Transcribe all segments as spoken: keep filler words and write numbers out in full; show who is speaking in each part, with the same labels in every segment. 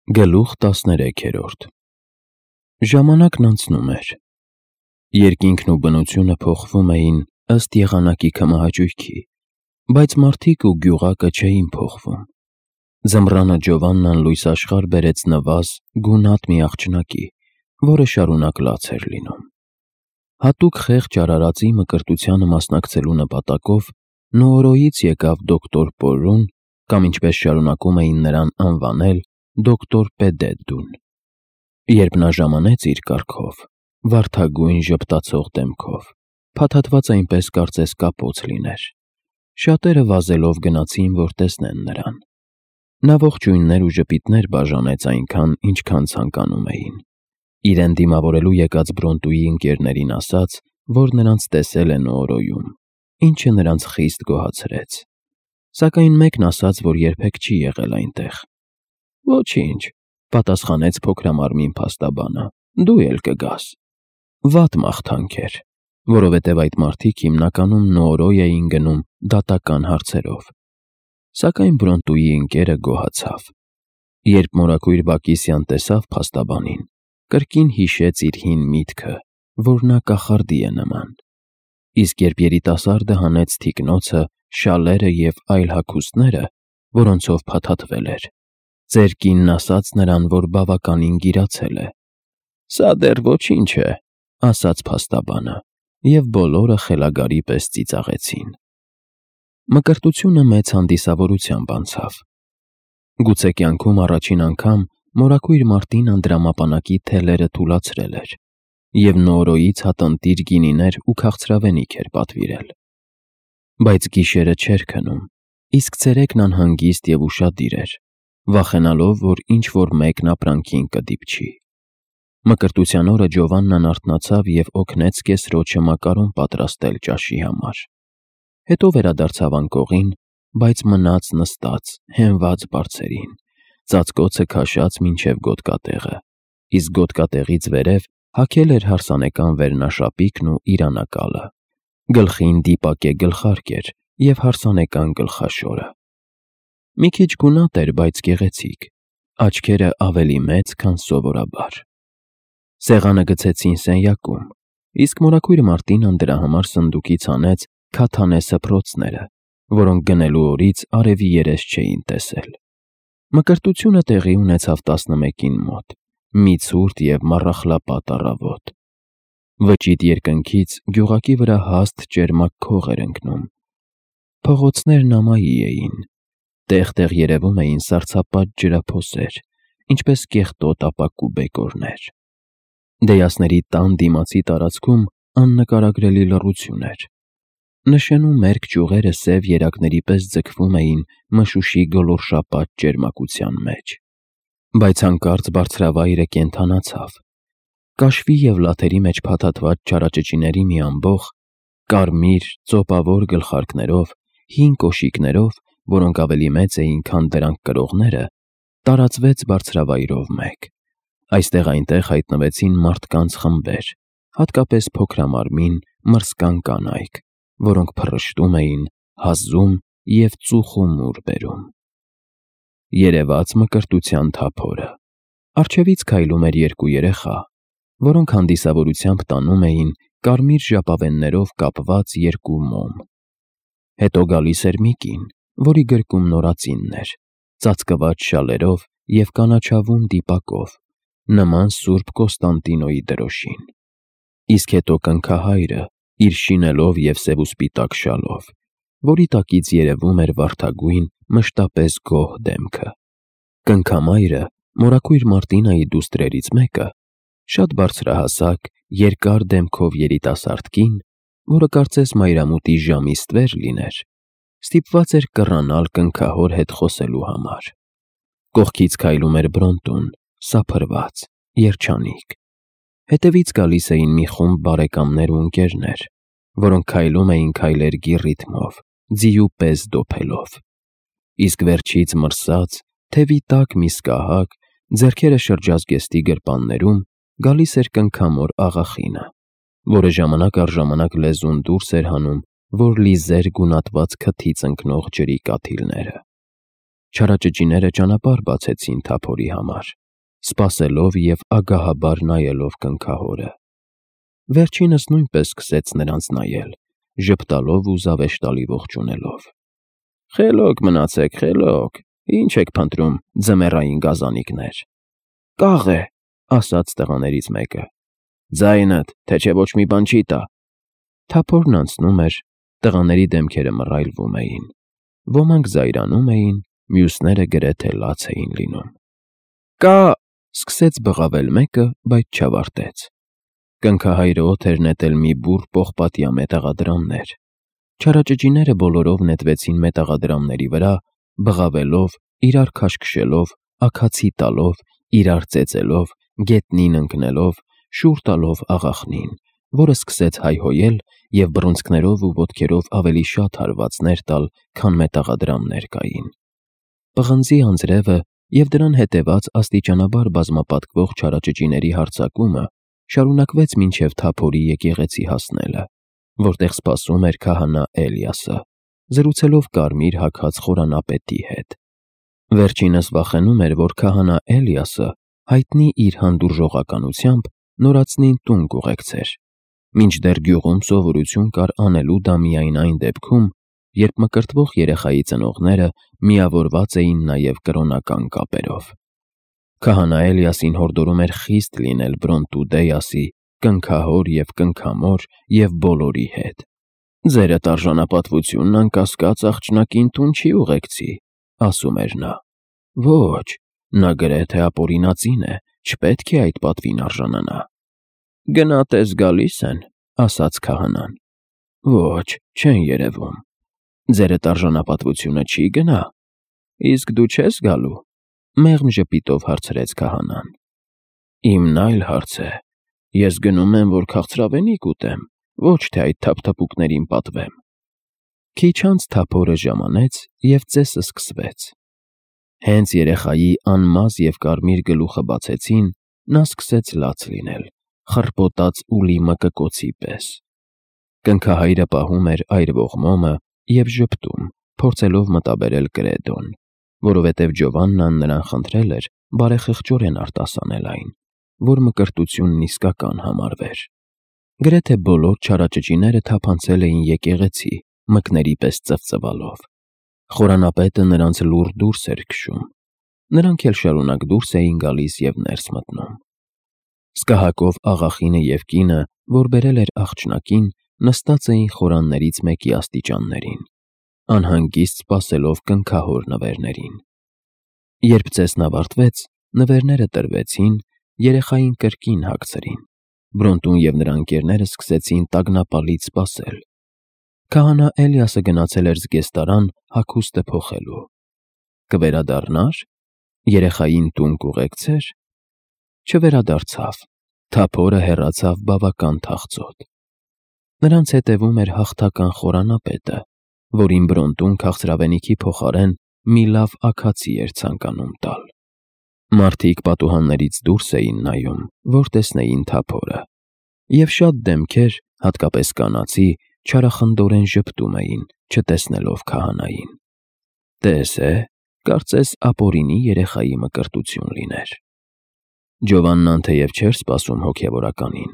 Speaker 1: Գլուխ տասներեքերորդ Ժամանակն անցնում էր։ Երկինքն ու բնությունը փոխվում էին ըստ եղանակի քմահաճույքի, բայց մարդիկ ու գյուղակը չէին փոխվում։ Ձմռանը Ջովաննան լույս աշխարհ բերեց նվազ գունատ մի աղջնակի, որը շարունակ լաց էր լինում։ Հատուկ խեղճ արարածի մկրտությանը մասնակցելու նպատակով Նոորոյից եկավ դոկտոր Պորուն, կամ ինչպես շարունակում էին նրան անվանել, դոկտոր Պեդեդդուն։ Երբ նա ժամանեց իր կառքով, վարդագույն ժպտացող դեմքով, փաթաթված այնպես կարծես կապոց լիներ, շատերը վազելով գնացին, որ տեսնեն նրան։ Նա ողջույններ ու ժպիտներ բաժանեց այնքան, ինչքան ցանկանում էին։ Իրեն դիմավորելու եկած Բրոնտուի ընկերներին ասաց, որ նրանց տեսել է Նոորոյում, ինչը նրանց խիստ գոհացրեց։ Սակայն մեկն ասաց, որ երբեք չի եղել այնտեղ։ Ոչինչ, պատասխանեց փոքրամարմին փաստաբանը, դու էլ կգաս։ Վատ մաղթանք էր, որովհետև այդ մարդիկ հիմնականում Նոորոյ էին գնում դատական հարցերով։ Սակայն Բրոնտուի ընկերը գոհացավ։ Երբ մորաքույր Բակիսյան տեսավ փաստաբանին, կրկին հիշեց իր հին միտքը, որ նա կախարդի է նման։ Իսկ երբ երիտասարդը հանեց թիկնոցը, շալերը և այլ հագուստները, որոնցով փաթաթվել էր, ծեր կինն ասաց նրան, որ բավականին գիրացել է։ Սա դեռ ոչինչ է, ասաց փաստաբանը, և բոլորը խելագարի պես ծիծաղեցին։ Մկրտությունը մեծ հանդիսավորությամբ անցավ։ Գուցե կյանքում առաջին անգամ մորաքույր Մարտին անդրամապանակի թելերը թուլացրել էր, և Նոորոյից հատնտիր գինիներ ու քաղցրավենիք էր պատվիրել։ Բայց գիշերը չէր քնում, իսկ ցերեկն անհանգիստ և ուշադիր էր, վախենալով, որ ինչ-որ մեկն ապրանքին կդիպչի։ Մկրտության օրը Ջովաննան արթնացավ և օգնեց կեսրոջը մակարոն պատրաստել ճաշի համար։ Հետո վերադարձավ անկողին, բայց մնաց նստած, հենված բարձերին, ծածկոցը քաշած մինչև գոտկատեղը, իսկ գոտկատեղից վերև հագել էր հարսանեկան վերնաշապիկն ու իրանակալը, գլխին դիպակե գլխարկ էր և հարսանեկան գլխաշորը։ Մի քիչ գունատ էր, բայց գեղեցիկ, աչքերը ավելի մեծ, քան սովորաբար։ Սեղանը գցեցին սենյակում, իսկ մորաքույր Մարտինան դրա համար սնդուկից հանեց քաթանե սփռոցները, որոնք գնելու օրից արևի երես չէին տեսել։ Մկրտությունը տեղի ունեցավ տասնմեկին մոտ, մի ցուրտ և մառախլապատ առավոտ։ Վճիտ երկնքից գյուղակի վրա հաստ ճերմակ քող էր ընկնում։ Փողոցներն ամայի էին, տեղ-տեղ երևում էին սառցապատ ջրափոսեր, ինչպես կեղտոտ ապակու բեկորներ։ Դեյասների տան դիմացի տարածքում աննկարագրելի լռություն էր։ Նշենու մերկ ճյուղերը սև երակների պես ձգվում էին մշուշի գոլորշապատ ճերմակության մեջ։ Բայց հանկարծ բարձրավայրը կենդանացավ։ Կաշվի և լաթերի մեջ փաթաթված չարաճճիների մի ամբոխ, կարմիր, ծոպավոր գլխարկներով, հին կոշիկներով, որոնք ավելի մեծ էին, քան դրանք կրողները, տարածվեց բարձրավայրով մեկ։ Այստեղ-այնտեղ հայտնվեցին մարդկանց խմբեր, հատկապես փոքրամարմին, մրսկան կանայք, որոնք փռշտում էին, հազում և ծուխումուր բերում։ Երևաց մկրտության թափորը։ Առջևից քայլում էր երկու երեխա, որոնք հանդիսավորությամբ տանում էին կարմիր ժապավեններով կապված երկու մոմ։ Հետո գալիս էր մի կին, որի գրկում նորածինն էր, ծածկված շալերով և կանաչավուն դիպակով, նման Սուրբ Կոստանդինոյի դրոշին։ Իսկ հետո կնքահայրը, իր շինելով և սևուսպիտակ շալով, որի տակից երևում էր վարդագույն, մշտապես գոհ դեմքը։ Կնքամայրը, մորաքույր Մարտինայի դուստրերից մեկը, շատ բարձրահասակ, երկար դեմքով երիտասարդ կին, որը կարծես մայրամուտի ժամի ստվեր լիներ, ստիպված էր կռանալ կնքահոր հետ խոսելու համար։ Կողքից քայլում էր Բրոնտուն, սափրված, երջանիկ։ Հետևից գալիս էին մի խումբ բարեկամներ ու ընկերներ, որոնք քայլում էին քայլերգի ռիթմով, ձիու պես դոփելով։ Իսկ վերջից մրսած, թևի տակ մի սկահակ, ձեռքերը շրջազգեստի գրպաններում, գալիս էր կնքամոր աղախինը, որը ժամանակ առ ժամանակ լեզուն դուրս էր հանում, որ լիզեր գունատված քթից ընկնող ջրի կաթիլները։ Չարաճճիները ճանապարհ բացեցին Թափորի համար, սպասելով և ագահաբար նայելով կնքահորը։ Վերջինս նույնպես սկսեց նրանց նայել, ժպտալով ու զավեշտալի ողջունելով։ «Խելոք մնացեք, խելոք, ինչ եք փնտրում, ձմեռային գազանիկներ»։ «Կաղ է», ասաց տղաներից մեկը։ «Ձայնդ, թե չէ ոչ մի բան չի տա»։ Թափորն անցնում էր, տղաների դեմքերը մռայլվում էին։ Ոմանք զայրանում էին, մյուսները գրեթե լաց էին լինում։ «Կա», սկսեց բղավել մեկը, բայց չավարտեց։ Կնքահայրը օդ էր նետել մի բուռ պողպատյա մետաղադրամներ։ Չարաճճիները բոլորով նետվեցին մետաղադրամների վրա, բղավելով, իրար քաշքշելով, աքացի տալով, իրար ծեծելով, գետնին ընկնելով, շուռ տալով աղախնին, որը սկսեց հայհոյել և բռունցքներով ու ոտքերով ավելի շատ հարվածներ տալ, քան մետաղադրամներ կային։ Պղնձի անձրևը և դրան հետևած աստիճանաբար բազմապատկվող չարաճճիների հարձակումը շարունակվեց մինչև Թափորի եկեղեցի հասնելը, որտեղ սպասում էր քահանա Էլիասը, զրուցելով կարմիր հագած խորանապետի հետ։ Վերջինս վախենում էր, որ քահանա Էլիասը հայտնի իր հանդուրժողականությամբ նորածնին տուն կուղեկցեր, մինչդեռ գյուղում սովորություն կար անելու դա միայն այն դեպքում, երբ մկրտվող երեխայի ծնողները միավորված էին նաև կրոնական կապերով։ Քահանա Էլիասին հորդորում էր խիստ լինել Բրոնտուդեյասի, կնքահոր և կնքամոր և բոլորի հետ։ «Ձերդ արժանապատվությունն անկասկած աղջնակին տուն չի ուղեկցի», ասում էր նա։ «Ոչ, նա գրեթե ապօրինածին է, չպետք է այդ պատվին արժանանա»։ «Գնատես գալի՞ս են», ասաց քահանան։ «Ոչ, չեն երևում»։ «Ձերդ արժանապատվությունը չի գնա»։ «Իսկ դու չես գալու»։ Մեղմ ժպիտով հարցրեց քահանան։ «Իմն այլ հարց է։ Ես գնում եմ, որ քաղցրավենիք ուտեմ, ոչ թե այդ թափթփուկներին պատվեմ»։ Քիչ անց Թափորը ժամանեց, և ծեսը սկսվեց։ Հենց երեխայի անմազ և կարմիր գլուխը բացեցին, նա սկսեց լաց լինել, խռպոտած ուլի մկկոցի պես։ Կնքահայրը պահում էր այրվող մոմը և ժպտում, փորձելով մտաբերել Կրեդոն, որովհետև Ջովաննան նրան խնդրել էր բարեխղճորեն արտասանել այն, որ մկրտությունն իսկական համարվեր։ Գրեթե բոլոր չարաճճիները թափանցել էին եկեղեցի, մկների պես ծվծվալով։ Խորանապետը նրանց լուռ դուրս էր քշում։ Նրանք էլ շարունակ դուրս էին գալիս և ներս մտնում։ Սկահակով աղախինը և կինը, որ բերել էր աղջնակին, նստած էին խորաններից մեկի աստիճաններին, անհանգիստ սպասելով կնքահոր նվերներին։ Երբ ծեսն ավարտվեց, նվերները տրվեցին, երեխային կրկին հագցրին։ Բրոնտուն և նրա ընկերները սկսեցին տագնապալից սպասել։ Քահանա Էլիասը գնացել էր զգեստարան հագուստը փոխելու։ Կվերադառնա՞ր։ Երեխային տուն կուղեկցե՞ր։ Չվերադարձավ։ Թափորը հեռացավ բավական թախծոտ։ Նրանց հետևում էր հաղթական խորանապետը, որին Բրոնտուն քաղցրավենիքի փոխարեն մի լավ աքացի էր ցանկանում տալ։ Մարդիկ պատուհաններից դուրս էին նայում, որ տեսնեին Թափորը, և շատ դեմքեր, հատկապես կանացի, չարախնդորեն ժպտում էին, չտեսնելով քահանային։ Տես է, կարծես ապօրինի երեխայի մկրտություն լիներ։ Ջովաննան թեև չէր սպասում հոգևորականին,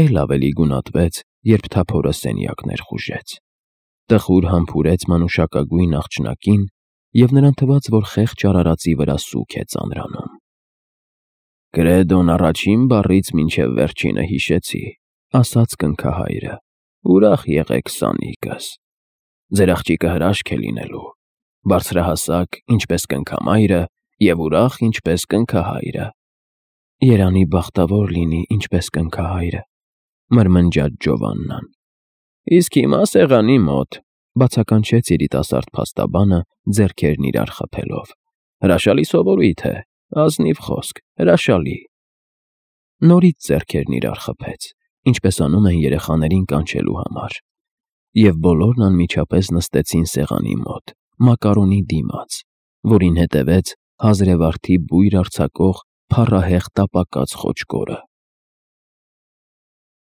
Speaker 1: էլ ավելի գունատվեց, երբ Թափորը սենյակ ներխուժեց։ Տխուր համբուրեց մանուշակագույն աղջնակին, և նրան թվաց, որ խեղճ արարածի վրա սուգ է ծանրանում։ «Կրեդոն առաջին բառից մինչև վերջինը հիշեցի», ասաց կնքահայրը։ «Ուրախ եղեք, սանիկս։ Ձեր աղջիկը հրաշք է լինելու, բարձրահասակ, ինչպես կնքամայրը, և ուրախ, ինչպես կնքահայրը»։ «Երանի բախտավոր լինի, ինչպես կնքահայրը», մրմնջաց Ջովաննան։ «Իսկ հիմա սեղանի մոտ», բացականչեց երիտասարդ փաստաբանը, ձեռքերն իրար խփելով։ «Հրաշալի սովորույթ է, ազնիվ խոսք, հրաշալի»։ Նորից ձեռքերն իրար խփեց, ինչպես անում են երեխաներին կանչելու համար, և բոլորն անմիջապես նստեցին սեղանի մոտ, մակարոնի դիմաց, որին հետևեց հազրեվարդի բույր արձակող փառահեղ տապակած խոճկորը։